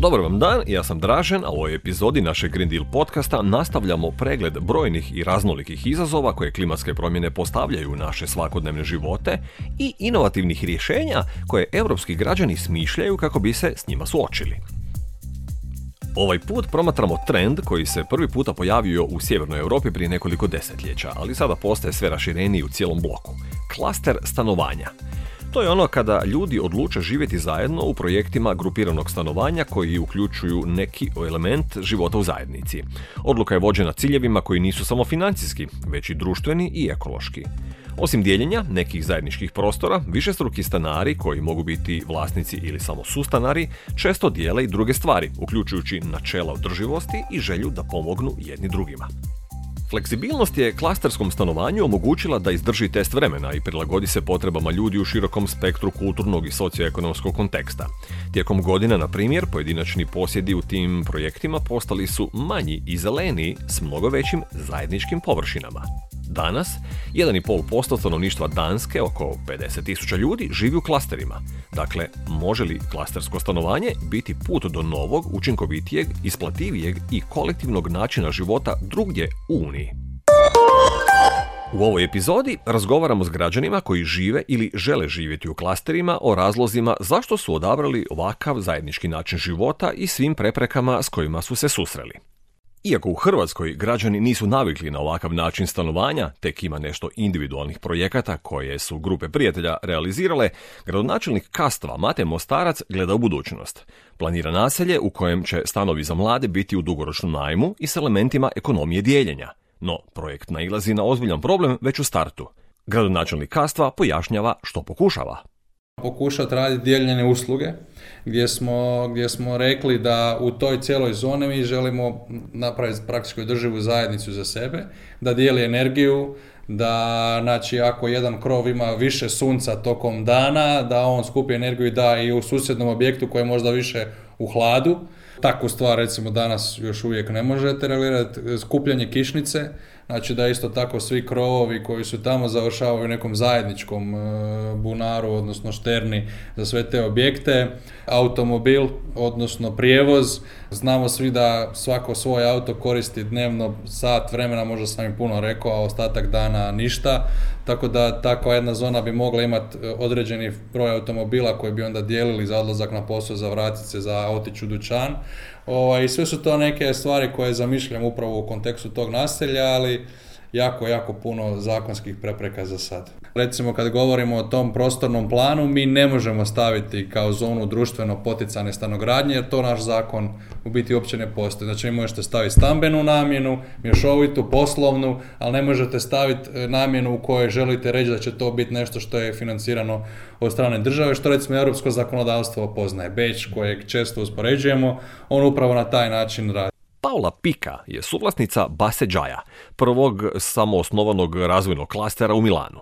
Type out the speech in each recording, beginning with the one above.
Dobar vam dan, ja sam Dražen, a u ovoj epizodi našeg Green Deal podcasta nastavljamo pregled brojnih i raznolikih izazova koje klimatske promjene postavljaju u naše svakodnevne živote i inovativnih rješenja koje europski građani smišljaju kako bi se s njima suočili. Ovaj put promatramo trend koji se prvi puta pojavio u sjevernoj Europi prije nekoliko desetljeća, ali sada postaje sve rašireniji u cijelom bloku. Klaster stanovanja. To je ono kada ljudi odluče živjeti zajedno u projektima grupiranog stanovanja koji uključuju neki element života u zajednici. Odluka je vođena ciljevima koji nisu samo financijski, već i društveni i ekološki. Osim dijeljenja nekih zajedničkih prostora, višestruki stanari koji mogu biti vlasnici ili samo sustanari često dijele i druge stvari, uključujući načela održivosti i želju da pomognu jedni drugima. Fleksibilnost je klasterskom stanovanju omogućila da izdrži test vremena i prilagodi se potrebama ljudi u širokom spektru kulturnog i socioekonomskog konteksta. Tijekom godina, na primjer, pojedinačni posjedi u tim projektima postali su manji i zeleniji s mnogo većim zajedničkim površinama. Danas, 1,5% stanovništva Danske, oko 50.000 ljudi, živi u klasterima. Dakle, može li klastersko stanovanje biti put do novog, učinkovitijeg, isplativijeg i kolektivnog načina života drugdje u Uniji? U ovoj epizodi razgovaramo s građanima koji žive ili žele živjeti u klasterima o razlozima zašto su odabrali ovakav zajednički način života i svim preprekama s kojima su se susreli. Iako u Hrvatskoj građani nisu navikli na ovakav način stanovanja, tek ima nešto individualnih projekata koje su grupe prijatelja realizirale, gradonačelnik Kastva Mate Mostarac gleda u budućnost. Planira naselje u kojem će stanovi za mlade biti u dugoročnom najmu i s elementima ekonomije dijeljenja. No, projekt nailazi na ozbiljan problem već u startu. Gradonačelnik Kastva pojašnjava što pokušava. Pokušati raditi dijeljene usluge gdje smo rekli da u toj cijeloj zoni mi želimo napraviti praktički održivu zajednicu za sebe, da dijeli energiju, da znači ako jedan krov ima više sunca tokom dana, da on skupi energiju i da i u susjednom objektu koji je možda više u hladu. Takvu stvar recimo danas još uvijek ne možete realizirati, skupljanje kišnice, znači da isto tako svi krovovi koji su tamo završavaju u nekom zajedničkom bunaru, odnosno šterni za sve te objekte, automobil, odnosno prijevoz. Znamo svi da svako svoj auto koristi dnevno sat vremena, možda sam im puno rekao, a ostatak dana ništa. Tako da takva jedna zona bi mogla imati određeni broj automobila koji bi onda dijelili za odlazak na posao, za vratit se, za otići u dućan. I sve su to neke stvari koje zamišljam upravo u kontekstu tog naselja, ali jako puno zakonskih prepreka za sad. Recimo kad govorimo o tom prostornom planu, mi ne možemo staviti kao zonu društveno poticane stanogradnje, jer to naš zakon u biti uopće ne postoji. Znači vi možete staviti stambenu namjenu, mješovitu, poslovnu, ali ne možete staviti namjenu u kojoj želite reći da će to biti nešto što je financirano od strane države, što recimo europsko zakonodavstvo poznaje. Beč kojeg često uspoređujemo, on upravo na taj način radi. Paula Pika je suvlasnica Baseđaja, prvog samoosnovanog razvojnog klastera u Milanu.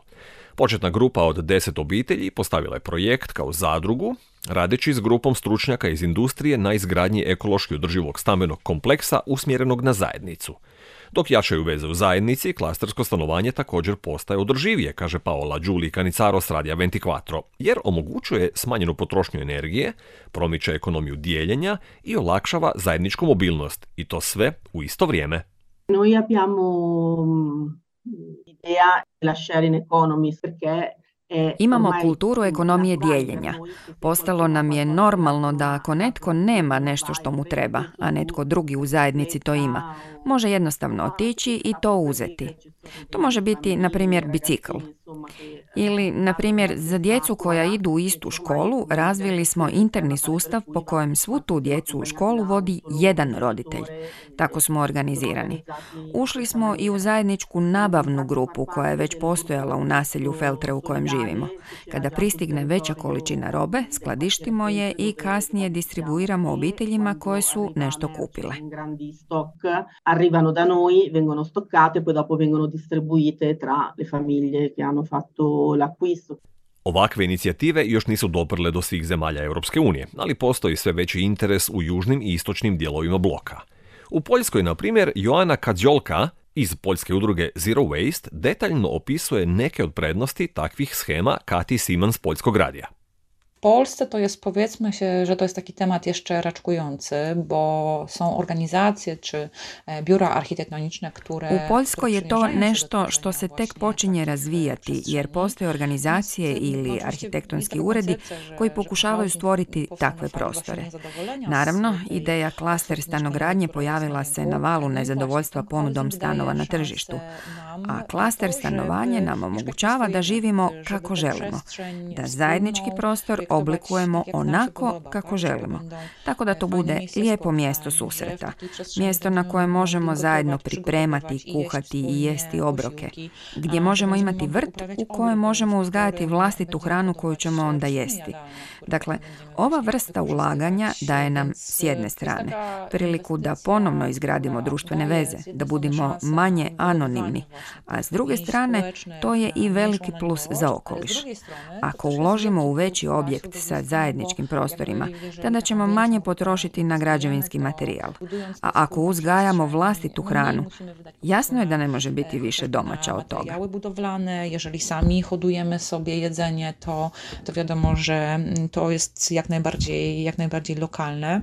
Početna grupa od 10 obitelji postavila je projekt kao zadrugu, radeći s grupom stručnjaka iz industrije na izgradnji ekološki održivog stambenog kompleksa usmjerenog na zajednicu. Dok jačaju veze u zajednici, klastersko stanovanje također postaje održivije, kaže Paola Giuli Canicaro s Radija 24, jer omogućuje smanjenu potrošnju energije, promiče ekonomiju dijeljenja i olakšava zajedničku mobilnost, i to sve u isto vrijeme. Noi abbiamo idea della sharing economy perché imamo kulturu ekonomije dijeljenja. Postalo nam je normalno da ako netko nema nešto što mu treba, a netko drugi u zajednici to ima, može jednostavno otići i to uzeti. To može biti, na primjer, bicikl. Ili, na primjer, za djecu koja idu u istu školu, razvili smo interni sustav po kojem svu tu djecu u školu vodi jedan roditelj. Tako smo organizirani. Ušli smo i u zajedničku nabavnu grupu koja je već postojala u naselju Feltre u kojem živimo. Kada pristigne veća količina robe, skladištimo je i kasnije distribuiramo obiteljima koje su nešto kupile. Arrivano da noi, vengono stoccate, poi dopo vengono distribuite tra le famiglie che hanno fatto l'acquisto. Ovakve inicijative još nisu doprle do svih zemalja Europske unije, ali postoji sve veći interes u južnim i istočnim dijelovima bloka. U Poljskoj, na primjer, Joana Kadziolka iz poljske udruge Zero Waste detaljno opisuje neke od prednosti takvih shema Kati Siman s Poljskog radija. Polsce to jest, powiedzmy się, że to jest taki temat jeszcze raczkujący, bo są organizacje czy biura arhitektoniczne, które... U Poljskoj je to nešto što se tek počinje razvijati, jer postoje organizacije ili arhitektonski uredi koji pokušavaju stvoriti takve prostore. Naravno, ideja klaster stanogradnje pojavila se na valu nezadovoljstva ponudom stanova na tržištu, a klaster stanovanje nam omogućava da živimo kako želimo, da zajednički prostor oblikujemo onako kako želimo, tako da to bude lijepo mjesto susreta, mjesto na koje možemo zajedno pripremati, kuhati i jesti obroke, gdje možemo imati vrt u kojem možemo uzgajati vlastitu hranu koju ćemo onda jesti. Dakle, ova vrsta ulaganja daje nam s jedne strane priliku da ponovno izgradimo društvene veze, da budemo manje anonimni, a s druge strane to je i veliki plus za okoliš. Ako uložimo u veći objekt sa zajedničkim prostorima, tada ćemo manje potrošiti na građevinski materijal. A ako uzgajamo vlastitu hranu, jasno je da ne može biti više domaća od toga. Jeżeli sami hodujemy sobie jedzenie, to wiadomo, że to jest jak najbardziej lokalne.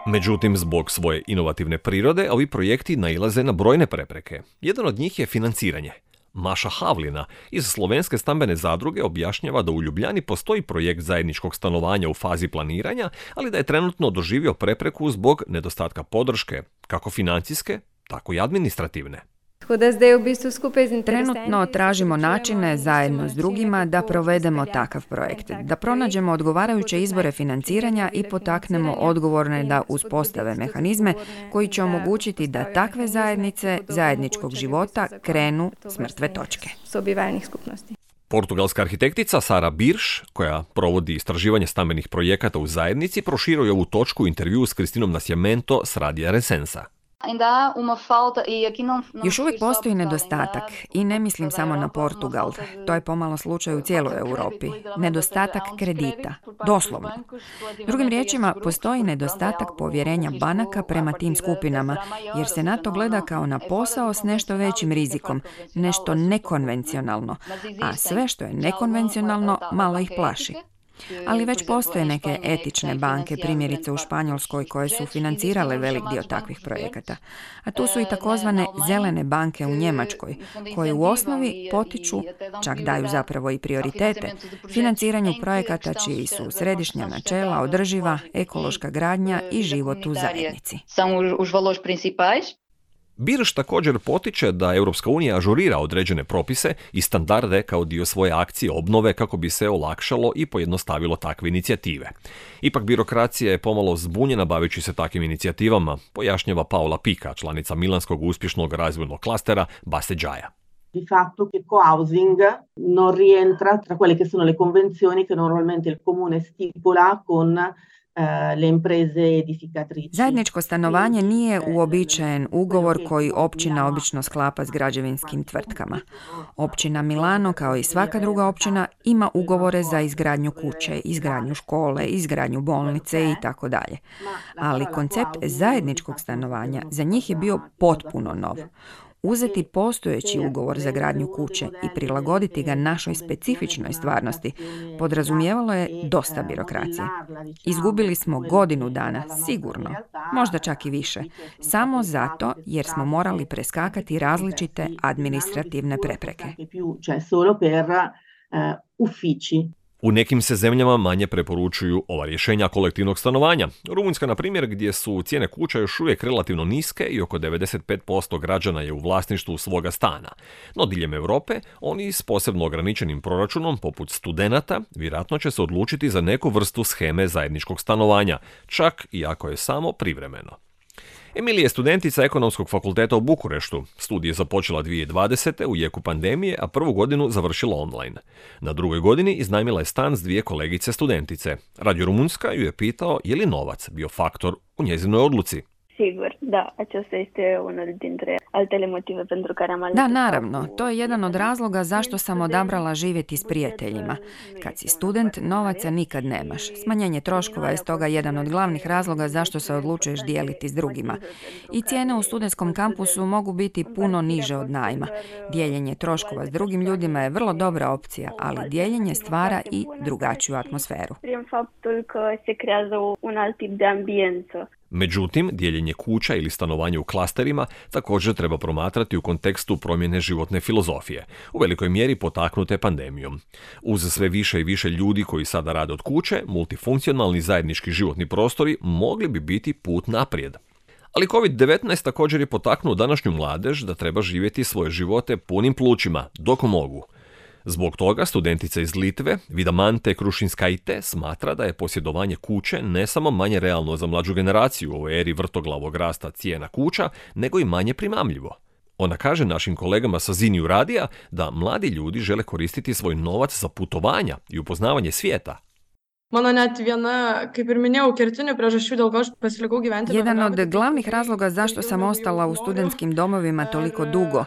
Međutim, zbog svoje inovativne prirode, ovi projekti nailaze na brojne prepreke. Jedan od njih je financiranje. Maša Havlina iz Slovenske stambene zadruge objašnjava da u Ljubljani postoji projekt zajedničkog stanovanja u fazi planiranja, ali da je trenutno doživio prepreku zbog nedostatka podrške, kako financijske, tako i administrativne. Trenutno tražimo načine zajedno s drugima da provedemo takav projekt, da pronađemo odgovarajuće izbore financiranja i potaknemo odgovorne da uspostave mehanizme koji će omogućiti da takve zajednice zajedničkog života krenu s mrtve točke. Portugalska arhitektica Sara Birš, koja provodi istraživanje stambenih projekata u zajednici, proširuje ovu točku u intervju s Cristinom Nascimento s Radija Resensa. Još uvijek postoji nedostatak i ne mislim samo na Portugal, to je pomalo slučaj u cijeloj Europi. Nedostatak kredita, doslovno. Drugim riječima, postoji nedostatak povjerenja banaka prema tim skupinama, jer se na to gleda kao na posao s nešto većim rizikom, nešto nekonvencionalno, a sve što je nekonvencionalno malo ih plaši. Ali već postoje neke etične banke, primjerice u Španjolskoj, koje su financirale velik dio takvih projekata. A tu su i takozvane zelene banke u Njemačkoj, koje u osnovi potiču, čak daju zapravo i prioritete, financiranju projekata čiji su središnja načela održiva, ekološka gradnja i život u zajednici. Birš također potiče da Europska unija ažurira određene propise i standarde kao dio svoje akcije obnove kako bi se olakšalo i pojednostavilo takve inicijative. Ipak birokracija je pomalo zbunjena baveći se takvim inicijativama, pojašnjava Paola Pica, članica milanskog uspješnog razvojnog klastera Basse Giaia. Di fatto che co-housing non rientra tra quelle che sono le convenzioni che normalmente il comune stipula con le imprese edificatrici. Zajedničko stanovanje nije uobičajen ugovor koji općina obično sklapa s građevinskim tvrtkama. Općina Milano, kao i svaka druga općina, ima ugovore za izgradnju kuće, izgradnju škole, izgradnju bolnice i tako dalje. Ali koncept zajedničkog stanovanja za njih je bio potpuno nov. Uzeti postojeći ugovor za gradnju kuće i prilagoditi ga našoj specifičnoj stvarnosti podrazumijevalo je dosta birokracije. Izgubili smo godinu dana, sigurno, možda čak i više, samo zato jer smo morali preskakati različite administrativne prepreke. U nekim se zemljama manje preporučuju ova rješenja kolektivnog stanovanja. Rumunjska, na primjer, gdje su cijene kuća još uvijek relativno niske i oko 95% građana je u vlasništvu svoga stana. No diljem Europe, oni s posebno ograničenim proračunom, poput studenata, vjerojatno će se odlučiti za neku vrstu sheme zajedničkog stanovanja, čak i ako je samo privremeno. Emilija je studentica Ekonomskog fakulteta u Bukureštu. Studij je započela 2020. u jeku pandemije, a prvu godinu završila online. Na drugoj godini iznajmila je stan s dvije kolegice studentice. Radio Rumunjska ju je pitao je li novac bio faktor u njezinoj odluci. Sigur, da, acesta este unul dintre altele motive pentru care am ales. Da, naravno, to je jedan od razloga zašto sam odabrala živjeti s prijateljima. Kad si student, novaca nikad nemaš. Smanjenje troškova je stoga jedan od glavnih razloga zašto se odlučuješ dijeliti s drugima. I cijene u studentskom kampusu mogu biti puno niže od najma. Dijeljenje troškova s drugim ljudima je vrlo dobra opcija, ali dijeljenje stvara i drugačiju atmosferu. Prin faptul că se creează un alt tip de ambiență. Međutim, dijeljenje kuća ili stanovanje u klasterima također treba promatrati u kontekstu promjene životne filozofije, u velikoj mjeri potaknute pandemijom. Uz sve više i više ljudi koji sada rade od kuće, multifunkcionalni zajednički životni prostori mogli bi biti put naprijed. Ali COVID-19 također je potaknuo današnju mladež da treba živjeti svoje živote punim plućima, dok mogu. Zbog toga studentica iz Litve, Vidamante Krušinskaite, smatra da je posjedovanje kuće ne samo manje realno za mlađu generaciju u ovoj eri vrtoglavog rasta cijena kuća, nego i manje primamljivo. Ona kaže našim kolegama sa Ziniju radija da mladi ljudi žele koristiti svoj novac za putovanja i upoznavanje svijeta. Jedan od glavnih razloga zašto sam ostala u studentskim domovima toliko dugo,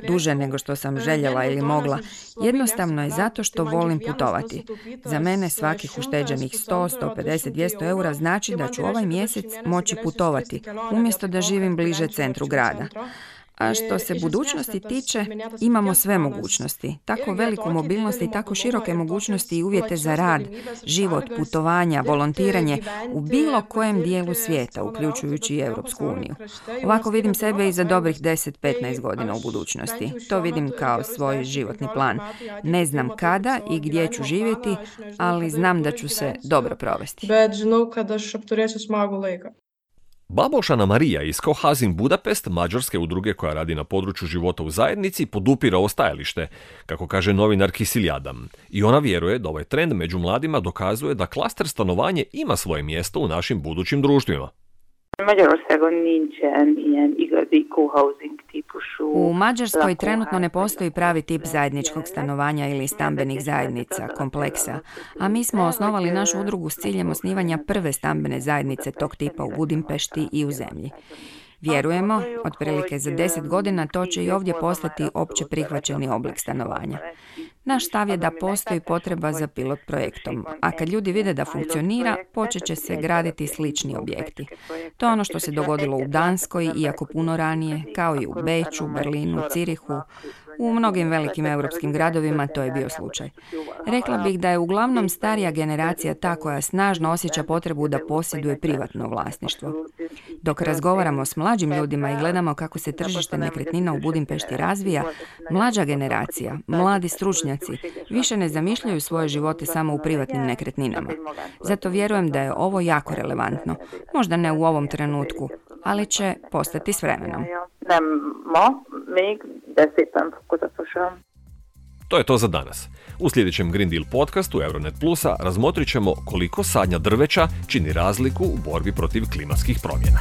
duže nego što sam željela ili mogla, jednostavno je zato što volim putovati. Za mene svakih ušteđenih 100, 150, 200 eura znači da ću ovaj mjesec moći putovati, umjesto da živim bliže centru grada. A što se budućnosti tiče, imamo sve mogućnosti. Tako veliku mobilnost i tako široke mogućnosti i uvjete za rad, život, putovanja, volontiranje u bilo kojem dijelu svijeta, uključujući i Europsku uniju. Ovako vidim sebe i za dobrih 10-15 godina u budućnosti. To vidim kao svoj životni plan. Ne znam kada i gdje ću živjeti, ali znam da ću se dobro provesti. Babošana Marija iz Kohazin Budapest, mađarske udruge koja radi na području života u zajednici, podupira ovo stajalište, kako kaže novinar Kisil Adam. I ona vjeruje da ovaj trend među mladima dokazuje da klaster stanovanje ima svoje mjesto u našim budućim društvima. U Mađarskoj trenutno ne postoji pravi tip zajedničkog stanovanja ili stambenih zajednica, kompleksa, a mi smo osnovali našu udrugu s ciljem osnivanja prve stambene zajednice tog tipa u Budimpešti i u zemlji. Vjerujemo, otprilike za 10 godina to će i ovdje postati opće prihvaćeni oblik stanovanja. Naš stav je da postoji potreba za pilot projektom, a kad ljudi vide da funkcionira, počet će se graditi slični objekti. To je ono što se dogodilo u Danskoj, iako puno ranije, kao i u Beču, Berlinu, Cirihu. U mnogim velikim europskim gradovima to je bio slučaj. Rekla bih da je uglavnom starija generacija ta koja snažno osjeća potrebu da posjeduje privatno vlasništvo. Dok razgovaramo s mlađim ljudima i gledamo kako se tržište nekretnina u Budimpešti razvija, mlađa generacija, mladi stručnjaci više ne zamišljaju svoje živote samo u privatnim nekretninama. Zato vjerujem da je ovo jako relevantno. Možda ne u ovom trenutku, ali će postati s vremenom. To je to za danas. U sljedećem Green Deal podcastu Euronet Plusa razmotrit ćemo koliko sadnja drveća čini razliku u borbi protiv klimatskih promjena.